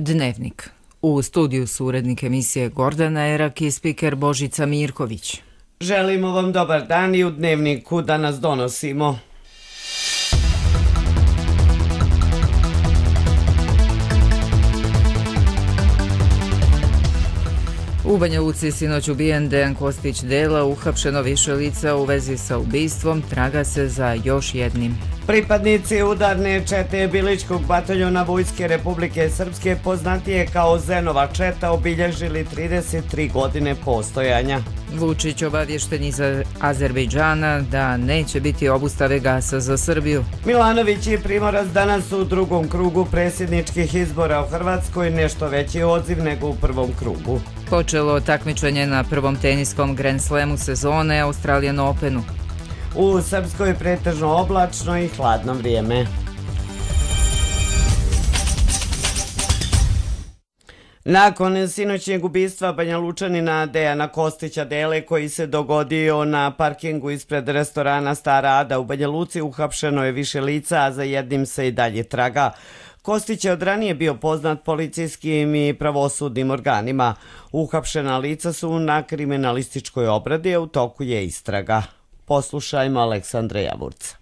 Dnevnik. U studiju su urednik emisije Gordana Erak i spiker Božica Mirković. Želimo vam dobar dan i u Dnevniku danas donosimo. U Banja Luci sinoć ubijen Dejan Kostić Dela, uhapšeno više lica u vezi sa ubistvom, traga se za još jednim. Pripadnici udarne čete Bilićkog bataljona Vojske Republike Srpske, poznatije kao Zenova četa, obilježili 33 godine postojanja. Vučić obavješten iz Azerbejdžana da neće biti obustave gasa za Srbiju. Milanović i Primorac danas u drugom krugu predsjedničkih izbora u Hrvatskoj, nešto veći odziv nego u prvom krugu. Počelo takmičenje na prvom teniskom Grand Slamu sezone Australian Openu. U Srpskoj pretežno oblačno i hladno vrijeme. Nakon sinoćnjeg ubistva Banjalučanina Dejana Kostića Dele, koji se dogodio na parkingu ispred restorana Stara Ada u Banja Luci, uhapšeno je više lica, a za jednim se i dalje traga. Kostić je od ranije bio poznat policijskim i pravosudnim organima. Uhapšena lica su na kriminalističkoj obradi, a u toku je istraga. Poslušajmo Aleksandra Javurca.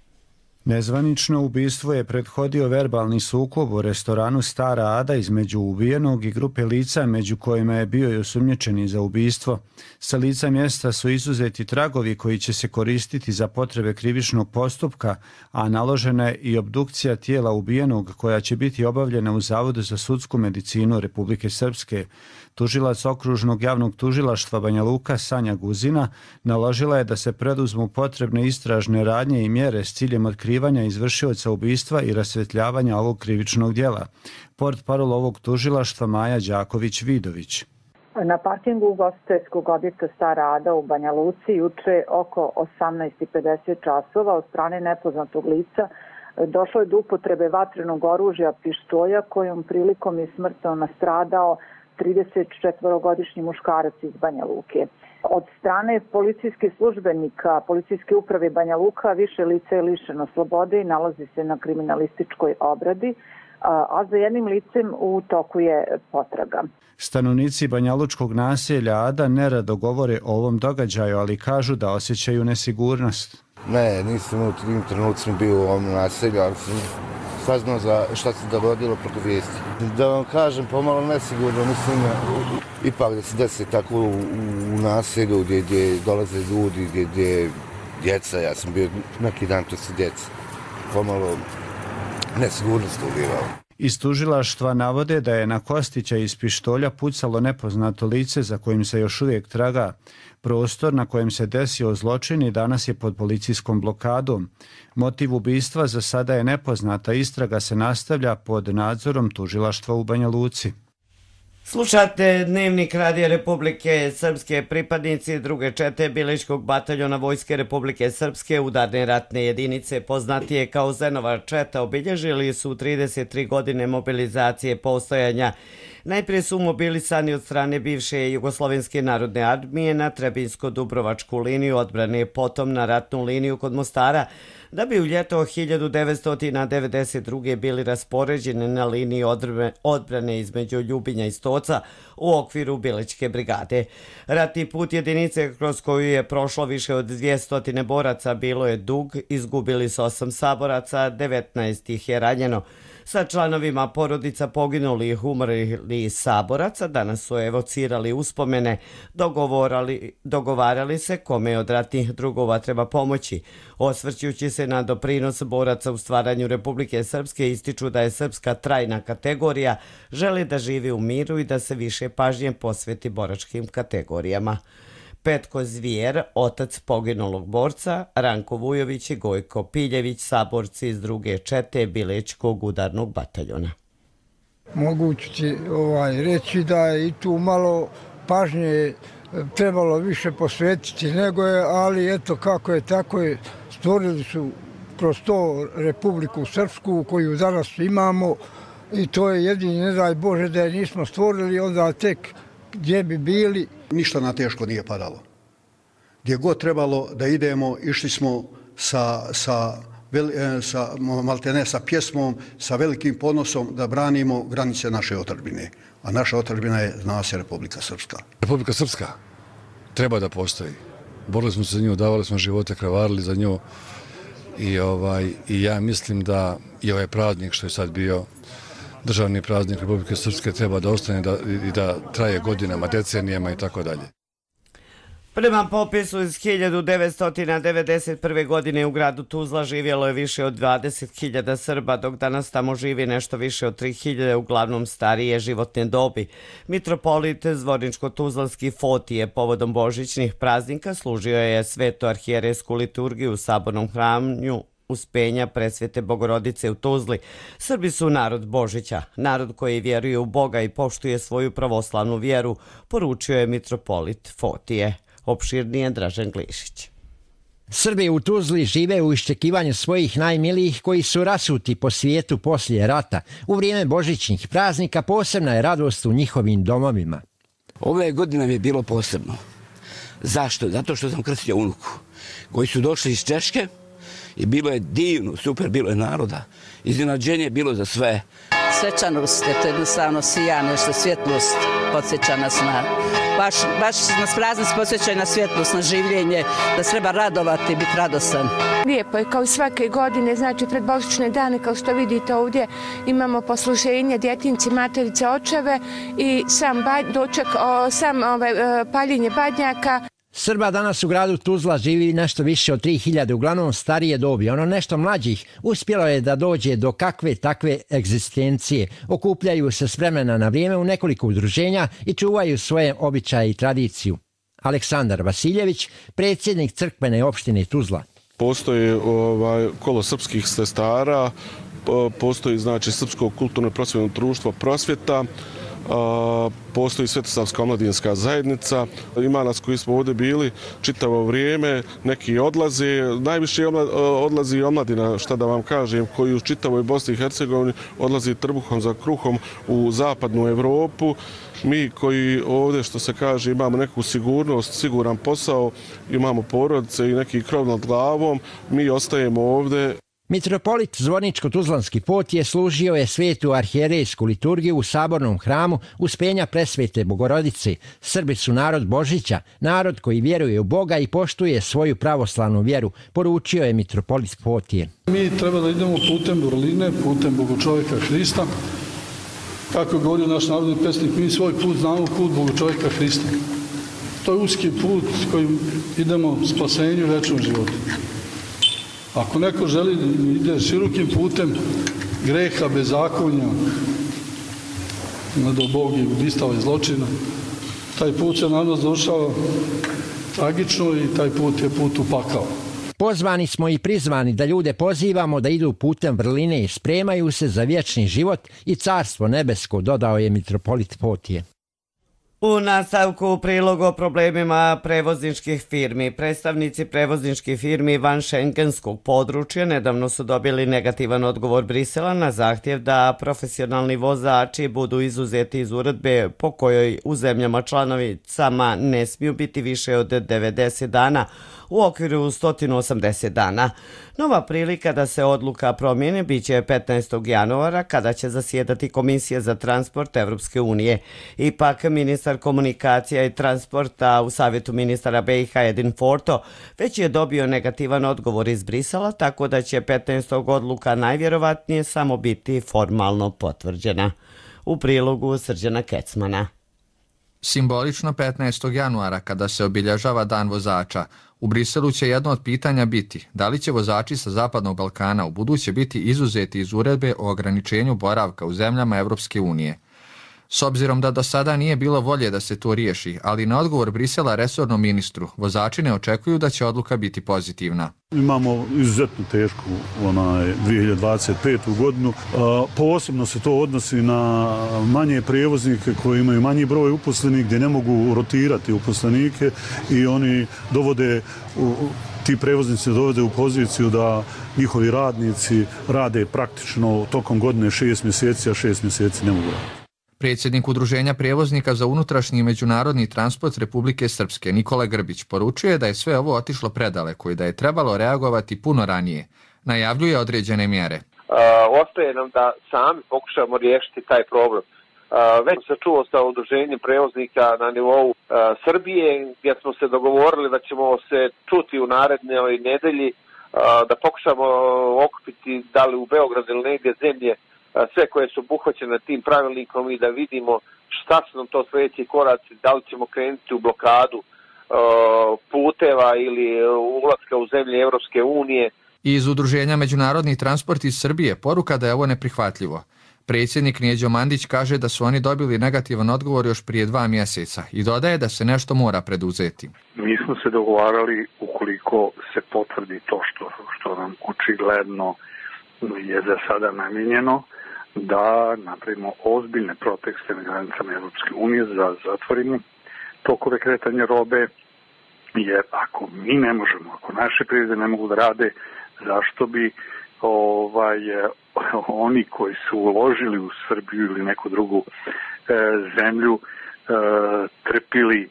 Nezvanično ubistvo je prethodio verbalni sukob u restoranu Stara Ada između ubijenog i grupe lica, među kojima je bio i osumnjičeni za ubistvo. Sa lica mjesta su izuzeti tragovi koji će se koristiti za potrebe krivičnog postupka, a naložena je i obdukcija tijela ubijenog koja će biti obavljena u Zavodu za sudsku medicinu Republike Srpske. Tužilac okružnog javnog tužilaštva Banja Luka Sanja Guzina naložila je da se preduzmu potrebne istražne radnje i mjere s ciljem otkrivanja izvršioca ubistva i rasvjetljavanja ovog krivičnog djela. Portparol ovog tužilaštva Maja Đaković-Vidović. Na parkingu ugostiteljskog objekta Stara Ada u Banja Luci juče oko 18:50 časova od strane nepoznatog lica došlo je do upotrebe vatrenog oružja pištolja kojom prilikom je smrtno nastradao 34-godišnji muškarac iz Banja Luke. Od strane policijskih službenika Policijske uprave Banja Luka više lice je lišeno slobode i nalazi se na kriminalističkoj obradi, a za jednim licem u toku je potraga. Stanovnici banjalučkog naselja Ada nerado govore o ovom događaju, ali kažu da osjećaju nesigurnost. Ne, nisam u tim trenucima bio u ovom naselju, ali sam saznao za šta se dogodilo preko vijesti. Da vam kažem, pomalo nesigurno, mislim, ipak da se desi tako u naselju gdje dolaze ljudi, gdje je djeca, ja sam bio neki dan to sa djeca, pomalo nesigurnost ulivao. Iz tužilaštva navode da je na Kostića iz pištolja pucalo nepoznato lice za kojim se još uvijek traga. Prostor na kojem se desio zločin i danas je pod policijskom blokadom. Motiv ubistva za sada je nepoznata, istraga se nastavlja pod nadzorom tužilaštva u Banja Luci. Slušate Dnevnik Radija Republike Srpske. Pripadnici druge čete Bilićkog bataljona Vojske Republike Srpske, udarne ratne jedinice poznatije kao Zenova četa, obilježili su 33 godine mobilizacije postojanja. Najprije su mobilisani od strane bivše Jugoslovenske narodne armije na Trebinsko-Dubrovačku liniju odbrane, potom na ratnu liniju kod Mostara, da bi u ljeto 1992. bili raspoređeni na liniji odbrane između Ljubinja i Stoca u okviru Bilićke brigade. Ratni put jedinice kroz koju je prošlo više od 200 boraca bilo je dug, izgubili su 8 saboraca, 19 ih je ranjeno. Sa članovima porodica poginulih umrlih saboraca danas su evocirali uspomene, dogovarali se kome od ratnih drugova treba pomoći. Osvrćući se na doprinos boraca u stvaranju Republike Srpske, ističu da je srpska trajna kategorija, želi da živi u miru i da se više pažnje posveti boračkim kategorijama. Petko Zvijer, otac poginulog borca, Ranko Vujović i Gojko Piljević, saborci iz druge čete Bilićkog udarnog bataljona. Mogu ti reći da je i tu malo pažnje trebalo više posvetiti nego je, ali eto kako je tako je, stvorili su kroz to Republiku Srpsku koju danas imamo i to je jedini, ne daj Bože da je nismo stvorili, onda tek gdje bi bili. Ništa na teško nije padalo. Gdje god trebalo da idemo, išli smo sa maltene sa pjesmom, sa velikim ponosom da branimo granice naše otadžbine. A naša otadžbina je, zna se, Republika Srpska. Republika Srpska treba da postoji. Borili smo se za nju, davali smo živote, kravarili za nju i ja mislim da i ovaj praznik što je sad bio državni praznik Republike Srpske treba da ostane i da traje godinama, decenijama i tako dalje. Prema popisu iz 1991. godine u gradu Tuzla živjelo je više od 20.000 Srba, dok danas tamo živi nešto više od 3.000, uglavnom starije životne dobi. Mitropolit Zvorničko-Tuzlanski Fotije povodom božićnih praznika služio je svetu arhijerejsku liturgiju u sabornom hramu Uspenja Presvete Bogorodice u Tuzli. Srbi su narod Božića, narod koji vjeruje u Boga i poštuje svoju pravoslavnu vjeru, poručio je mitropolit Fotije. Opširnije Dražen Glišić. Srbi u Tuzli žive u iščekivanju svojih najmilijih koji su rasuti po svijetu poslije rata. U vrijeme božićnih praznika posebna je radost u njihovim domovima. Ove godine mi je bilo posebno. Zašto? Zato što sam krstio unuku koji su došli iz Češke i bilo je divno, super, bilo je naroda. Iznenađenje je bilo za sve. Svečanost, to je jednostavno sija, nešto svjetlost podsjeća nas na... Baš nas praznici podsjećaju na svjetlost, na življenje, da se treba radovati i biti radostan. Lijepo je kao i svake godine, znači pred božićne dane, kao što vidite ovdje, imamo posluženje, djetinci, materice, očeve i sam doček, paljenje badnjaka. Srba danas u gradu Tuzla živi nešto više od 3.000, uglavnom starije dobi. Ono nešto mlađih uspjelo je da dođe do kakve takve egzistencije. Okupljaju se s vremena na vrijeme u nekoliko udruženja i čuvaju svoje običaje i tradiciju. Aleksandar Vasiljević, predsjednik crkvene opštine Tuzla. Postoji kolo srpskih sestara, postoji znači Srpsko kulturno prosvjetno društvo Prosvjeta, postoji Svetosavska omladinska zajednica, ima nas koji smo ovdje bili čitavo vrijeme, neki odlaze, najviše odlazi omladina, šta da vam kažem, koji u čitavoj Bosni i Hercegovini odlazi trbuhom za kruhom u zapadnu Europu. Mi koji ovdje, što se kaže, imamo neku sigurnost, siguran posao, imamo porodice i neki krov nad glavom, mi ostajemo ovdje. Mitropolit Zvorničko-Tuzlanski Fotije služio je svetu arhijerejsku liturgiju u sabornom hramu Uspenja Presvete Bogorodice. Srbi su narod Božića, narod koji vjeruje u Boga i poštuje svoju pravoslavnu vjeru, poručio je mitropolit Fotije. Mi treba da idemo putem vrline, putem Bogočovjeka Hrista. Kako je govorio naš narodni pesnik, mi svoj put znamo, put Bogočovjeka Hrista. To je uski put kojim idemo spasenju i večnom životu. Ako neko želi da ide širokim putem greha, bezakonja, do Boga i ubistava i zločina, taj put se na nas došao tragično i taj put je put u pakao. Pozvani smo i prizvani da ljude pozivamo da idu putem vrline i spremaju se za vječni život i carstvo nebesko, dodao je mitropolit Fotije. U nastavku prilog o problemima prevozničkih firmi. Predstavnici prevozničkih firmi van šengenskog područja nedavno su dobili negativan odgovor Brisela na zahtjev da profesionalni vozači budu izuzeti iz uredbe po kojoj u zemljama članovicama ne smiju biti više od 90 dana u okviru 180 dana. Nova prilika da se odluka promijeni biće 15. januara kada će zasjedati Komisija za transport Evropske unije. Ipak ministar komunikacija i transporta u Savjetu ministara BiH Edin Forto već je dobio negativan odgovor iz Brisela, tako da će 15. odluka najvjerovatnije samo biti formalno potvrđena. U prilogu Srđana Kecmana. Simbolično 15. januara, kada se obilježava Dan vozača, u Briselu će jedno od pitanja biti da li će vozači sa Zapadnog Balkana u buduće biti izuzeti iz uredbe o ograničenju boravka u zemljama Evropske unije. S obzirom da do sada nije bilo volje da se to riješi, ali na odgovor Brisela resornom ministru, vozači ne očekuju da će odluka biti pozitivna. Imamo izuzetno tešku 2025. godinu. Posebno se to odnosi na manje prijevoznike koji imaju manji broj uposlenih, gdje ne mogu rotirati uposlenike i oni ti prevoznici dovode u poziciju da njihovi radnici rade praktično tokom godine 6 mjeseci, a 6 mjeseci ne mogu raditi. Predsjednik Udruženja prijevoznika za unutrašnji i međunarodni transport Republike Srpske Nikola Grbić poručuje da je sve ovo otišlo predaleko i da je trebalo reagovati puno ranije. Najavljuje određene mjere. Ostaje nam da sami pokušamo riješiti taj problem. Već se čuo sa udruženjem prevoznika na nivou Srbije, gdje smo se dogovorili da ćemo se čuti u narednoj nedelji, da pokušamo okupiti da li u Beogradu ili negdje zemlje sve koje su obuhvaćene tim pravilnikom i da vidimo šta su nam to sljedeći koraci, da li ćemo krenuti u blokadu puteva ili ulaska u zemlje Europske unije. Iz Udruženja Međunarodni transport iz Srbije poruka da je ovo neprihvatljivo. Predsjednik Neđo Mandić kaže da su oni dobili negativan odgovor još prije 2 mjeseca i dodaje da se nešto mora preduzeti. Mi smo se dogovarali ukoliko se potvrdi to što nam očigledno je za sada namijenjeno, da napravimo ozbiljne protekste na granicama Europske unije, da zatvorimo tokove kretanja robe, jer ako mi ne možemo, ako naše privrede ne mogu da rade, zašto bi oni koji su uložili u Srbiju ili neku drugu zemlju trpili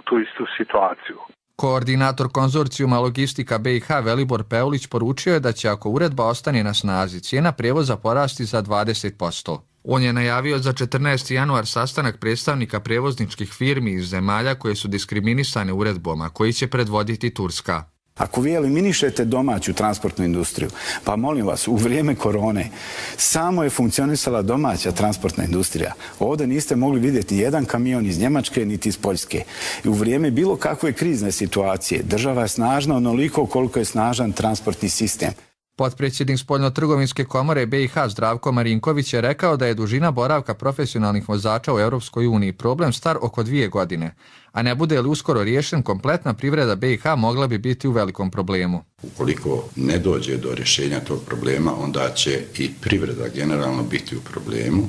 tu istu situaciju. Koordinator konzorcijuma Logistika BiH Velibor Peulić poručio je da će, ako uredba ostane na snazi, cijena prijevoza porasti za 20%. On je najavio za 14. januar sastanak predstavnika prijevozničkih firmi iz zemalja koje su diskriminisane uredbom, a koji će predvoditi Turska. Ako vi eliminišete domaću transportnu industriju, pa molim vas, u vrijeme korone samo je funkcionisala domaća transportna industrija. Ovdje niste mogli vidjeti jedan kamion iz Njemačke niti iz Poljske. I u vrijeme bilo kakve krizne situacije država je snažna onoliko koliko je snažan transportni sistem. Potpredsjednik Spoljno-trgovinske komore BiH Zdravko Marinković je rekao da je dužina boravka profesionalnih vozača u Europskoj uniji problem star oko 2 godine, a ne bude li uskoro riješen, kompletna privreda BiH mogla bi biti u velikom problemu. Ukoliko ne dođe do rješenja tog problema, onda će i privreda generalno biti u problemu.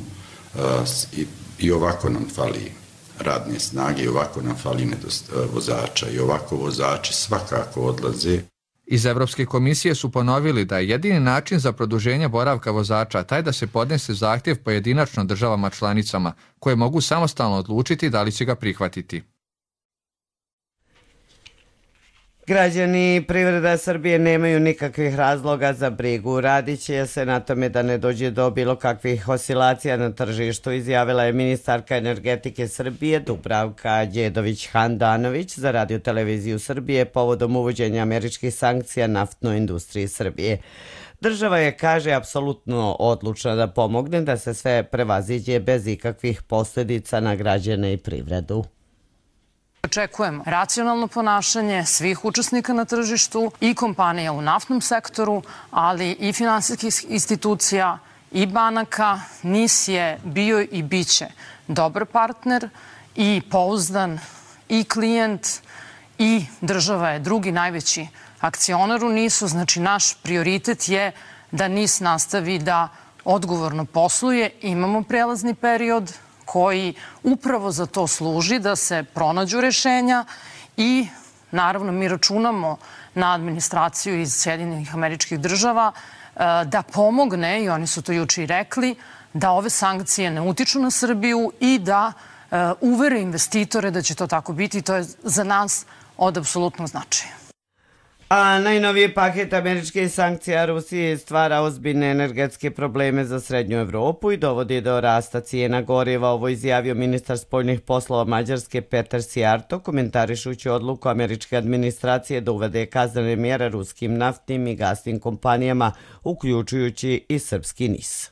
I ovako nam fali radne snage, i ovako nam fali vozača, i ovako vozači svakako odlaze. Iz Evropske komisije su ponovili da je jedini način za produženje boravka vozača taj da se podnese zahtjev pojedinačno državama članicama, koje mogu samostalno odlučiti da li će ga prihvatiti. Građani i privreda Srbije nemaju nikakvih razloga za brigu. Radit će se na tome da ne dođe do bilo kakvih oscilacija na tržištu, izjavila je ministarka energetike Srbije Dubravka Đedović-Handanović za Radio televiziju Srbije povodom uvođenja američkih sankcija naftnoj industriji Srbije. Država je, kaže, apsolutno odlučna da pomogne da se sve prevaziđe bez ikakvih posljedica na građane i privredu. Očekujem racionalno ponašanje svih učesnika na tržištu i kompanija u naftnom sektoru, ali i finansijskih institucija i banaka. NIS je bio i bit će dobar partner i pouzdan i klijent i država je drugi najveći akcionar u NIS-u. Znači, naš prioritet je da NIS nastavi da odgovorno posluje. Imamo prelazni period koji upravo za to služi, da se pronađu rješenja i naravno mi računamo na administraciju iz Sjedinjenih Američkih Država da pomogne, i oni su to juče i rekli, da ove sankcije ne utiču na Srbiju i da uvere investitore da će to tako biti. To je za nas od apsolutnog značaja. A najnoviji paket američkih sankcija Rusiji stvara ozbiljne energetske probleme za Srednju Evropu i dovodi do rasta cijena goriva. Ovo izjavio ministar spoljnih poslova Mađarske Petar Sijarto, komentarišući odluku američke administracije da uvede kaznene mjere ruskim naftnim i gasnim kompanijama, uključujući i srpski NIS.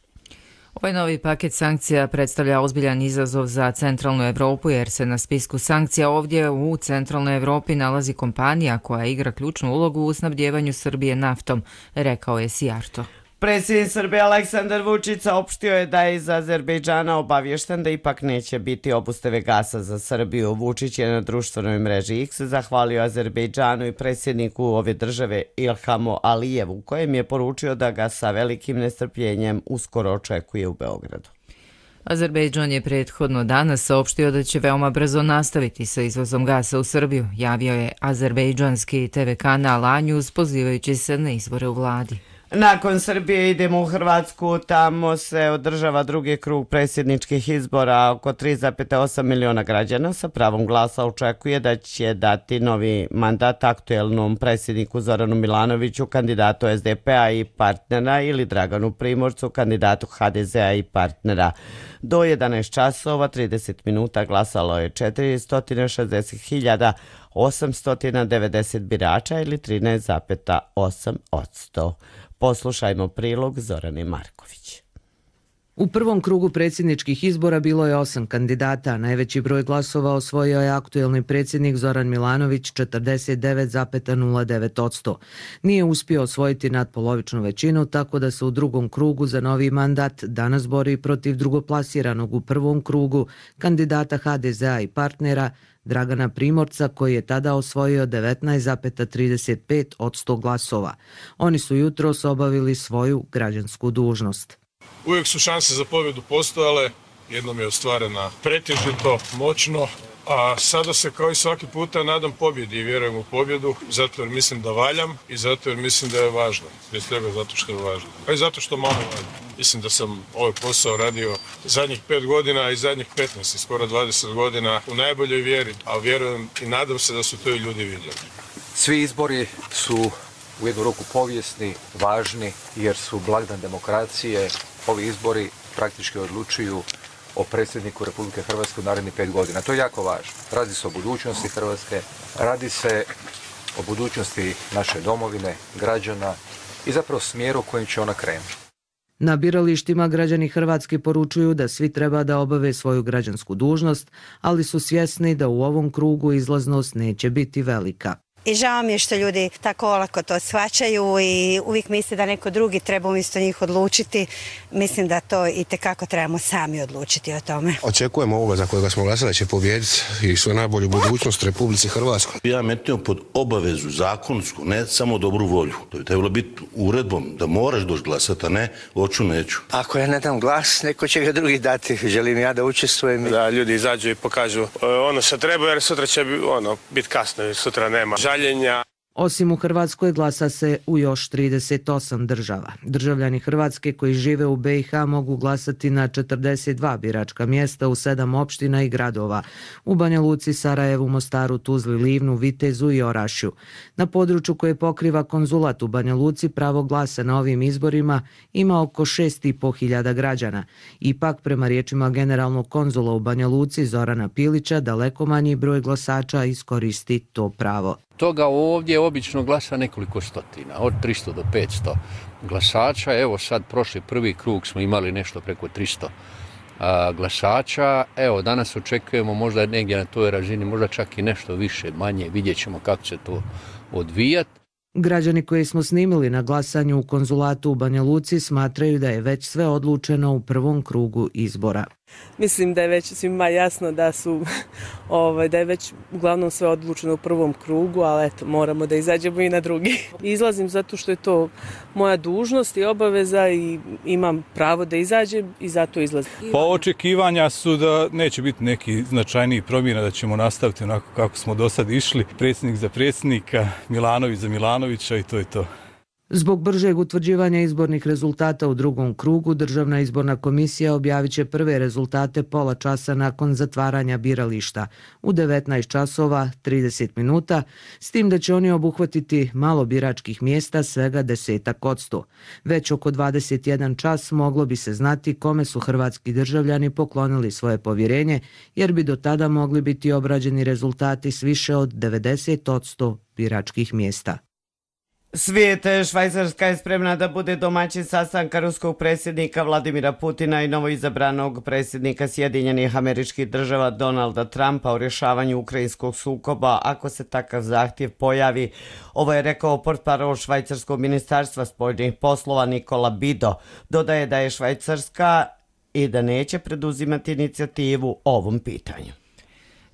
Ovaj novi paket sankcija predstavlja ozbiljan izazov za centralnu Evropu jer se na spisku sankcija ovdje u centralnoj Evropi nalazi kompanija koja igra ključnu ulogu u snabdjevanju Srbije naftom, rekao je Sijarto. Predsjednik Srbije Aleksandar Vučić saopštio je da je iz Azerbejdžana obavješten da ipak neće biti obustave gasa za Srbiju. Vučić je na društvenoj mreži X zahvalio Azerbejdžanu i predsjedniku ove države Ilhamu Alijevu, kojem je poručio da ga sa velikim nestrpljenjem uskoro očekuje u Beogradu. Azerbejdžan je prethodno danas saopštio da će veoma brzo nastaviti sa izvozom gasa u Srbiju, javio je azerbejdžanski TV kanal A-News pozivajući se na izbore u vladi. Nakon Srbije idemo u Hrvatsku, tamo se održava drugi krug predsjedničkih izbora. Oko 3,8 miliona građana sa pravom glasa očekuje da će dati novi mandat aktuelnom predsjedniku Zoranu Milanoviću, kandidatu SDP-a i partnera, ili Draganu Primorcu, kandidatu HDZ-a i partnera. Do 11 časova 30 minuta glasalo je 460.890 birača ili 13,8%. Poslušajmo prilog Zorane Marković. U prvom krugu predsjedničkih izbora bilo je 8 kandidata. Najveći broj glasova osvojio je aktuelni predsjednik Zoran Milanović, 49,09%. Nije uspio osvojiti nadpolovičnu većinu, tako da se u drugom krugu za novi mandat danas bori protiv drugoplasiranog u prvom krugu kandidata HDZ-a i partnera Dragana Primorca, koji je tada osvojio 19,35% glasova. Oni su jutros obavili svoju građansku dužnost. Uvijek su šanse za pobjedu postojale, jednom je ostvarena pretežito, moćno, a sada se kao i svaki puta nadam pobjedi i vjerujem u pobjedu, zato jer mislim da valjam i zato jer mislim da je važno. Prije svega zato što je važno, a i zato što malo valjam. Mislim da sam ovaj posao radio zadnjih 5 godina i zadnjih 15 i skoro 20 godina u najboljoj vjeri, a vjerujem i nadam se da su to i ljudi vidjeli. Svi izbori su u jednu ruku povijesni, važni, jer su blagdan demokracije. Ovi izbori praktički odlučuju o predsjedniku Republike Hrvatske u narednih 5 godina. To je jako važno. Radi se o budućnosti Hrvatske, radi se o budućnosti naše domovine, građana i zapravo smjeru kojim će ona krenuti. Na biralištima građani Hrvatske poručuju da svi treba da obave svoju građansku dužnost, ali su svjesni da u ovom krugu izlaznost neće biti velika. I žao mi je što ljudi tako olako to shvaćaju i uvijek misle da neko drugi treba umjesto njih odlučiti. Mislim da to itekako trebamo sami odlučiti o tome. Očekujemo ovoga za kojega smo glasali da će pobijediti i sve najbolju budućnost Republici Hrvatskoj. Ja metnio pod obavezu zakonsku, ne samo dobru volju. To bi trebalo biti uredbom da moraš doći glasati, a ne hoću neću. Ako ja ne dam glas, neko će ga drugi dati. Želim ja da učestvujem. Da ljudi izađu i pokažu ono što treba, jer sutra će biti kasno i sutra nema žaljenja. Osim u Hrvatskoj glasa se u još 38 država. Državljani Hrvatske koji žive u BiH mogu glasati na 42 biračka mjesta u 7 opština i gradova. U Banja Luci, Sarajevu, Mostaru, Tuzli, Livnu, Vitezu i Orašju. Na području koje pokriva konzulat u Banja Luci pravo glasa na ovim izborima ima oko 6.500 građana. Ipak, prema riječima generalnog konzula u Banja Luci Zorana Pilića, daleko manji broj glasača iskoristi to pravo. Toga ovdje obično glasa nekoliko stotina, od 300 do 500 glasača. Evo sad prošli prvi krug smo imali nešto preko 300 glasača. Evo danas očekujemo možda negdje na toj razini, možda čak i nešto više, manje. Vidjet ćemo kako će to odvijati. Građani koji smo snimili na glasanju u konzulatu u Banja Luci smatraju da je već sve odlučeno u prvom krugu izbora. Mislim da je već svima jasno da je već uglavnom sve odlučeno u prvom krugu, ali eto, moramo da izađemo i na drugi. Izlazim zato što je to moja dužnost i obaveza i imam pravo da izađem i zato izlazim. Pa očekivanja su da neće biti neki značajniji promjena, da ćemo nastaviti onako kako smo do sad išli. Predsjednik za predsjednika, Milanović za Milanovića i to je to. Zbog bržeg utvrđivanja izbornih rezultata u drugom krugu, Državna izborna komisija objavit će prve rezultate pola časa nakon zatvaranja birališta u 19 časova 30 minuta, s tim da će oni obuhvatiti malo biračkih mjesta, svega 10%. Već oko 21 čas moglo bi se znati kome su hrvatski državljani poklonili svoje povjerenje, jer bi do tada mogli biti obrađeni rezultati s više od 90% biračkih mjesta. Svijet, Švajcarska je spremna da bude domaćin sastanka ruskog predsjednika Vladimira Putina i novoizabranog predsjednika Sjedinjenih Američkih Država Donalda Trumpa o rješavanju ukrajinskog sukoba ako se takav zahtjev pojavi. Ovo je rekao portparol Švajcarskog ministarstva spoljnih poslova Nikola Bido. Dodaje da je Švajcarska i da neće preduzimati inicijativu o ovom pitanju.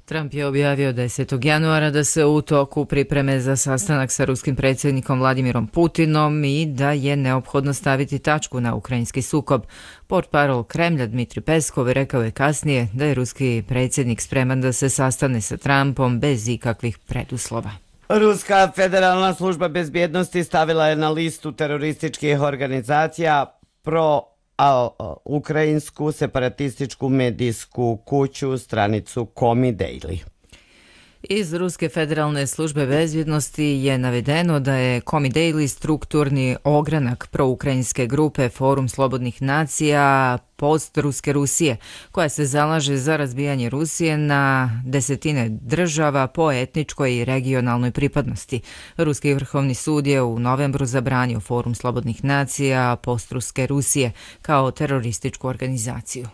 Trump je objavio 10. januara da se u toku pripreme za sastanak sa ruskim predsjednikom Vladimirom Putinom i da je neophodno staviti tačku na ukrajinski sukob. Portparol Kremlja Dmitri Peskov rekao je kasnije da je ruski predsjednik spreman da se sastane sa Trumpom bez ikakvih preduslova. Ruska federalna služba bezbjednosti stavila je na listu terorističkih organizacija ukrajinsku separatističku medijsku kuću stranicu Komi Daily. Iz Ruske federalne službe bezbjednosti je navedeno da je Komi Daily strukturni ogranak proukrajinske grupe Forum slobodnih nacija post-ruske Rusije, koja se zalaže za razbijanje Rusije na desetine država po etničkoj i regionalnoj pripadnosti. Ruski vrhovni sud je u novembru zabranio Forum slobodnih nacija post-ruske Rusije kao terorističku organizaciju.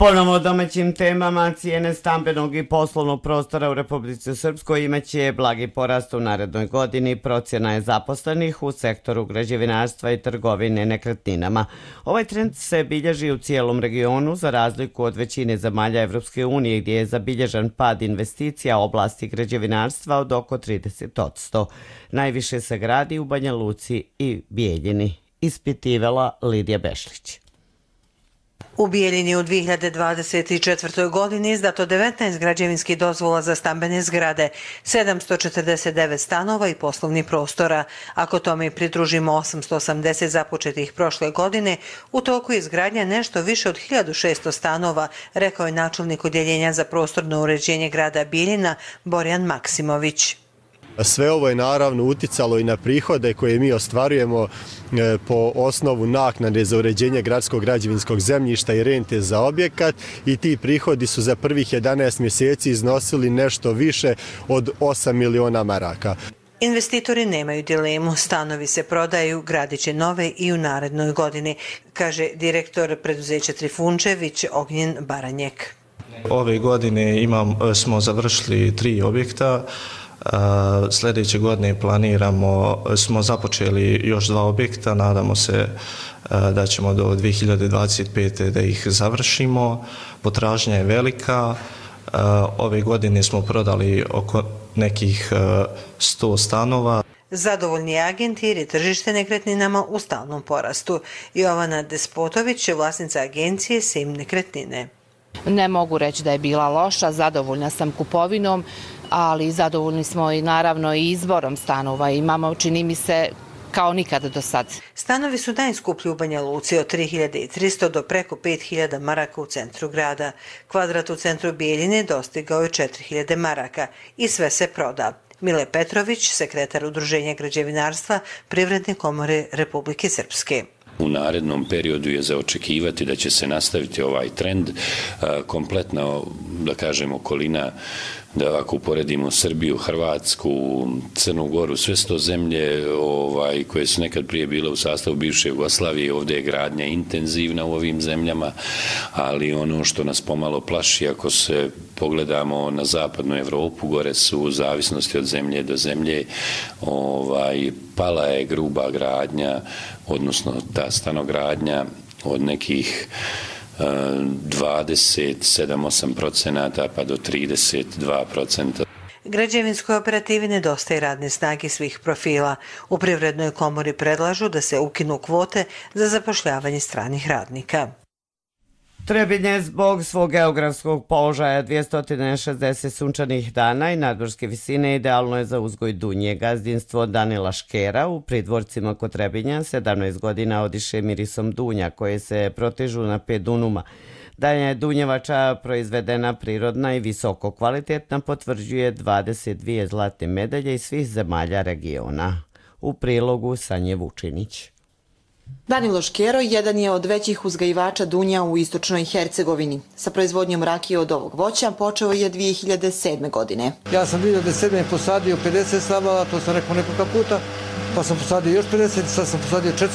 Ponovo o domaćim temama, cijene stambenog i poslovnog prostora u Republici Srpskoj imaće blagi porast u narednoj godini. Procjena je zaposlenih u sektoru građevinarstva i trgovine nekretninama. Ovaj trend se bilježi u cijelom regionu za razliku od većine zemalja Evropske unije gdje je zabilježan pad investicija u oblasti građevinarstva od oko 30%. Najviše se gradi u Banja Luci i Bijeljini, ispitivala Lidija Bešlić. U Bijeljini u 2024. godini izdato 19 građevinskih dozvola za stambene zgrade, 749 stanova i poslovnih prostora. Ako tome pridružimo 880 započetih prošle godine, u toku je izgradnja nešto više od 1600 stanova, rekao je načelnik odjeljenja za prostorno uređenje grada Bijeljina Borjan Maksimović. Sve ovo je naravno uticalo i na prihode koje mi ostvarujemo po osnovu naknade za uređenje gradskog građevinskog zemljišta i rente za objekat i ti prihodi su za prvih 11 mjeseci iznosili nešto više od 8 miliona maraka. Investitori nemaju dilemu, stanovi se prodaju, gradit će nove i u narednoj godini, kaže direktor preduzeća Trifunčević Ognjen Baranjek. Ove godine smo završili 3 objekta. Sljedeće godine smo započeli još 2 objekta, nadamo se da ćemo do 2025. da ih završimo. Potražnja je velika, ove godine smo prodali oko nekih 100 stanova. Zadovoljni agenti jer je tržište nekretninama u stalnom porastu. Jovana Despotović je vlasnica agencije Sim nekretnine. Ne mogu reći da je bila loša, zadovoljna sam kupovinom, ali zadovoljni smo i naravno i izborom stanova. Imamo, čini mi se, kao nikada do sad. Stanovi su najskuplji u Banja Luci od 3300 do preko 5000 maraka u centru grada. Kvadrat u centru Bijeljine dostigao je 4000 maraka i sve se proda. Mile Petrović, sekretar Udruženja građevinarstva Privredne komore Republike Srpske. U narednom periodu je za očekivati da će se nastaviti ovaj trend. Kompletna, da kažem, okolina, da ako uporedimo Srbiju, Hrvatsku, Crnu Goru, sve sto zemlje koje su nekad prije bile u sastavu bivše Jugoslavije, ovdje je gradnja intenzivna u ovim zemljama, ali ono što nas pomalo plaši, ako se pogledamo na zapadnu Evropu, gore su u zavisnosti od zemlje do zemlje, pala je gruba gradnja, odnosno ta stanogradnja od nekih 27-8% pa do 32%. Građevinskoj operativi nedostaje radne snage svih profila. U Privrednoj komori predlažu da se ukinu kvote za zapošljavanje stranih radnika. Trebinje zbog svog geografskog položaja 260 sunčanih dana i nadmorske visine idealno je za uzgoj dunje. Gazdinstvo Danila Škera u Pridvorcima kod Trebinja 17 godina odiše mirisom dunja koje se protežu na 5 dunuma. Da je dunjevača proizvedena prirodna i visoko kvalitetna potvrđuje 22 zlatne medalje iz svih zemalja regiona. U prilogu Sanje Vučinić. Danilo Škero jedan je od većih uzgajivača dunja u istočnoj Hercegovini. Sa proizvodnjom rakije od ovog voća počeo je 2007. godine. Ja sam 2007. posadio 50 stabala, to sam rekao nekoliko puta, pa sam posadio još 50, sad sam posadio 450.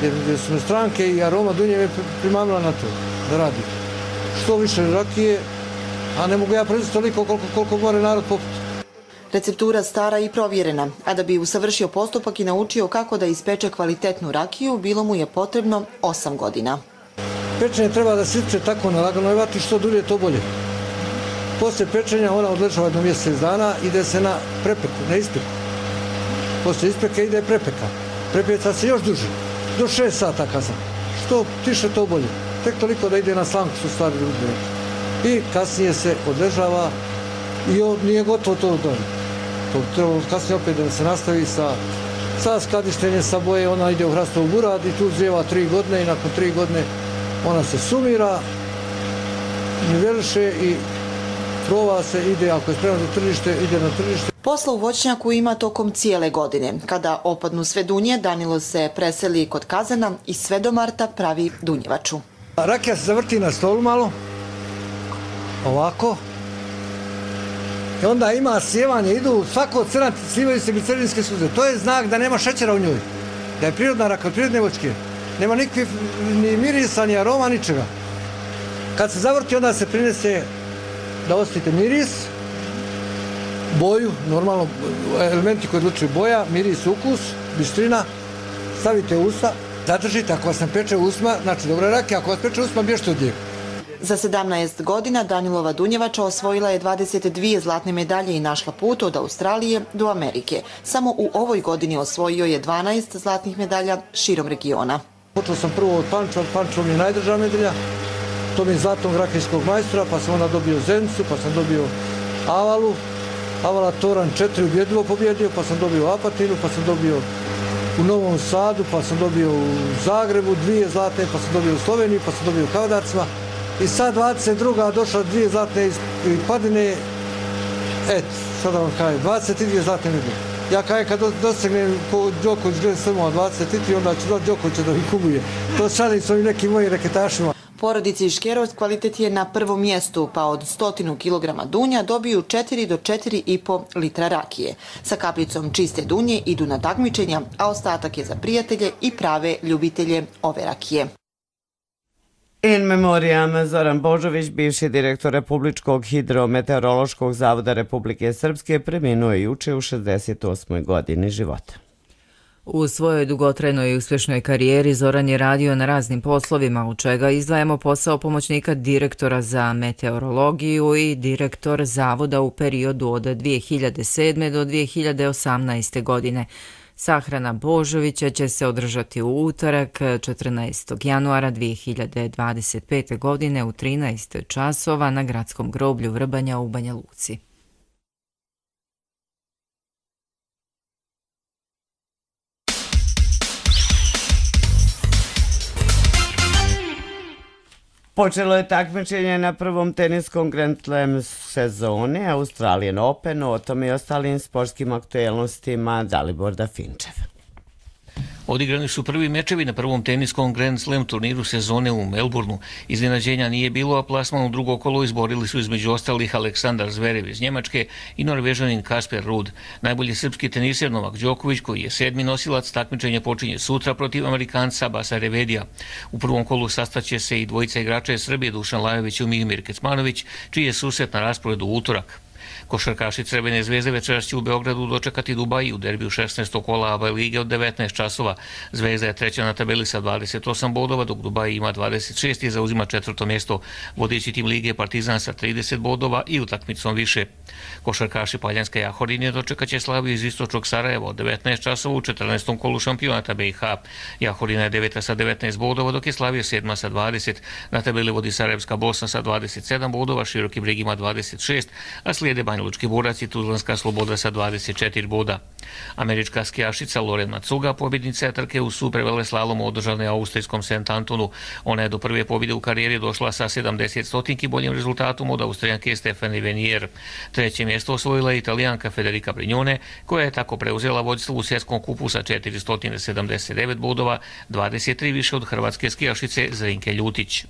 Jer su mi stranke i aroma dunje me primamila na to da radim. Što više rakije, a ne mogu ja proizvoditi toliko koliko more narod poput. Receptura stara i provjerena, a da bi usavršio postupak i naučio kako da ispeče kvalitetnu rakiju, bilo mu je potrebno 8 godina. Pečenje treba da se ispeče tako na laganoj vati, što dulje to bolje. Poslije pečenja ona odležava jedno mjesec dana, ide se na prepeku, na ispeku. Poslije ispeke ide prepeka. Prepeca se još duže, do 6 sata kazam. Što tiše to bolje. Tek toliko da ide na slanku, su stvari ljudi. i kasnije se odležava i nije gotovo to dan. To treba kasnije opet da se nastavi sa skladištenjem sa boje, ona ide u hrastovu burad i tu zrijeva 3 godine i nakon 3 godine ona se sumira, niveliše i prova se, ide, ako je spremno za tržište, ide na tržište. Posla u voćnjaku ima tokom cijele godine. Kada opadnu sve dunje, Danilo se preseli kod kazana i sve do marta pravi dunjevaču. Rakija se zavrti na stolu malo, ovako. I onda ima sjevanje, idu svako crnat, slivaju se glicerinske suze. To je znak da nema šećera u njoj, da je prirodna rakija, od prirodne voćke. Nema nikakvih ni mirisa, ni aroma, ničega. Kad se zavrti, onda se prinese da osjetite miris, boju, normalno elementi koji odlučuju boja, miris, ukus, bistrina, stavite u usta, zadržite, ako vas ne peče usma, znači dobra rakija, ako vas peče usma, bježite od njega. Za 17 godina Danilova dunjevača osvojila je 22 zlatne medalje i našla put od Australije do Amerike. Samo u ovoj godini osvojio je 12 zlatnih medalja širom regiona. Počeo sam prvo od Pančeva, Pančevo mi je najdrža medalja, to mi je zlatnog rakijskog majstora, pa sam onda dobio Zenicu, pa sam dobio Avalu, Avala Toran 4 ubjedljivo pobjedio, pa sam dobio Apatinu, pa sam dobio u Novom Sadu, pa sam dobio u Zagrebu 2 zlatne, pa sam dobio u Sloveniji, pa sam dobio u Kadarcima. I sad 22. došla 2 zlatne iz Padine, sada vam kažem, 22 zlatne medalje. Ja kažem, kad dosegnem ko Đoković gleda strmova 23, onda ću doći Đokovića da mi kubuje. To šalim s ovim nekim mojim reketašima. Porodici Škerovac kvalitet je na prvom mjestu, pa od 100 kg dunja dobiju 4 do 4,5 litra rakije. Sa kapljicom čiste dunje idu na takmičenja, a ostatak je za prijatelje i prave ljubitelje ove rakije. In memoriam Zoran Božović, bivši direktor Republičkog hidrometeorološkog zavoda Republike Srpske, preminuo je juče u 68. godini života. U svojoj dugotrajnoj i uspješnoj karijeri Zoran je radio na raznim poslovima, u čega izdvajamo posao pomoćnika direktora za meteorologiju i direktor zavoda u periodu od 2007. do 2018. godine. Sahrana Božovića će se održati u utorak 14. januara 2025. godine u 13 časova na gradskom groblju Vrbanja u Banja Luci. Počelo je takmičenje na prvom teniskom Grand Slam sezone Australian Open, o tome i ostalim sportskim aktuelnostima Dalibor Dafinčev. Odigrani su prvi mečevi na prvom teniskom Grand Slam turniru sezone u Melbourneu. Iznenađenja nije bilo, a plasman u drugo kolo izborili su između ostalih Aleksandar Zverev iz Njemačke i Norvežanin Kasper Ruud. Najbolji srpski teniser Novak Đoković, koji je 7. nosilac takmičenja, počinje sutra protiv Amerikanca Basa Revedija. U prvom kolu sastaće se i dvojica igrača iz Srbije, Dušan Lajović i Mihmir Kecmanović, čiji je susret na rasporedu u utorak. Košarkaši Crvene zvezde večeras će u Beogradu dočekati Dubai u derbiju 16. kola ABA lige od 19 časova. Zvezda je treća na tabeli sa 28 bodova, dok Dubai ima 26 i zauzima 4. mjesto. Vodeći tim lige Partizan sa 30 bodova i utakmicom više. Košarkaši Paljanske Jahorinje dočekat će Slaviju iz istočnog Sarajeva od 19 časova u 14. kolu šampionata BiH. Jahorina je 9. sa 19 bodova, dok je Slavija 7. sa 20. Na tabeli vodi Sarajevska Bosna sa 27 bodova, Široki Brig ima 26, a slijede Banja Lučki Borac i Tuzlanska Sloboda sa 24 boda. Američka skijašica Loren Matsuga pobjednica je trke u superveleslalomu održane austrijskom St. Antonu. Ona je do prve pobjede u karijeri došla sa 70 stotinki boljim rezultatom od Austrijanke Stefanie Venier. Treće mjesto osvojila je Italijanka Federica Brignone, koja je tako preuzela vodstvo u svjetskom kupu sa 479 bodova, 23 više od hrvatske skijašice Zrinke Ljutić.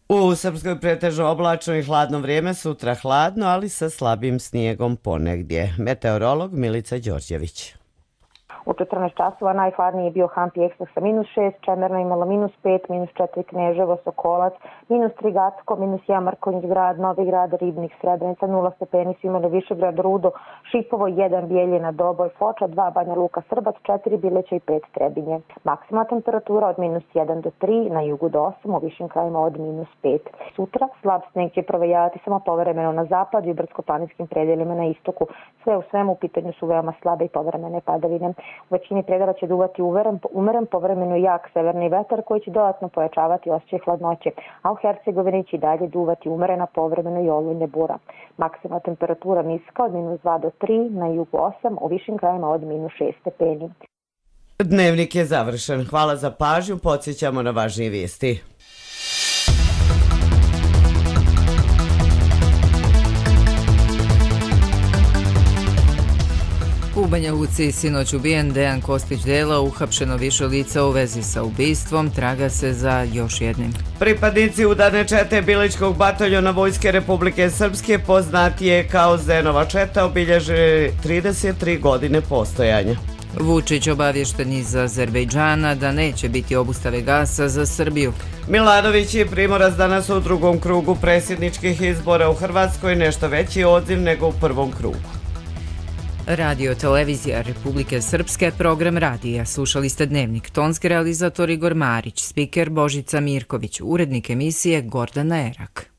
U Srpskoj pretežno oblačno i hladno vrijeme, sutra hladno, ali sa slabim snijegom ponegdje. Meteorolog Milica Đorđević. U 14 časova najhladniji je bio Hampi Ekstra sa -6, Čemerna imala -5, -4 Kneževo, Sokolac, -3 Gacko, -1 Markonjić grad, Novi grad, Ribnik, Srebrenica, 0 stepeni su imali Višegrad, Rudo, Šipovo, 1 Bijeljina, Doboj, Foča, 2 Banja Luka, Srbac, 4 Bileća i 5 Trebinje. Maksimalna temperatura od -1 do 3, na jugu do 8, u višim krajima od -5. Sutra slab sneg će provejavati samo povremeno na zapadu i brdsko-planinskim predjelima na istoku. Sve u svemu u pitanju su veoma slabe i povremene padavine. U većini predela će duvati umeren povremeno jak severni vetar koji će dodatno pojačavati osjećaj hladnoće, a u Hercegovini će dalje duvati umerena povremeno i olujne bura. Maksimalna temperatura niska od -2 do 3, na jugu 8, u višim krajima od -6 stepeni. Dnevnik je završen. Hvala za pažnju. Podsjećamo na važnije vijesti. U Banja Luci sinoć ubijen Dejan Kostić Dela, uhapšeno više lica u vezi sa ubistvom, traga se za još jednim. Pripadnici udarne čete Bilićkog bataljona Vojske Republike Srpske, poznatije kao Zenova četa, obilježe 33 godine postojanja. Vučić obavješten iz Azerbejdžana da neće biti obustave gasa za Srbiju. Milanović i Primorac danas u drugom krugu predsjedničkih izbora u Hrvatskoj, nešto veći odziv nego u prvom krugu. Radio Televizija Republike Srpske, program radija. Slušali ste Dnevnik. Tonski realizator Igor Marić, spiker Božica Mirković, urednik emisije Gordana Erak.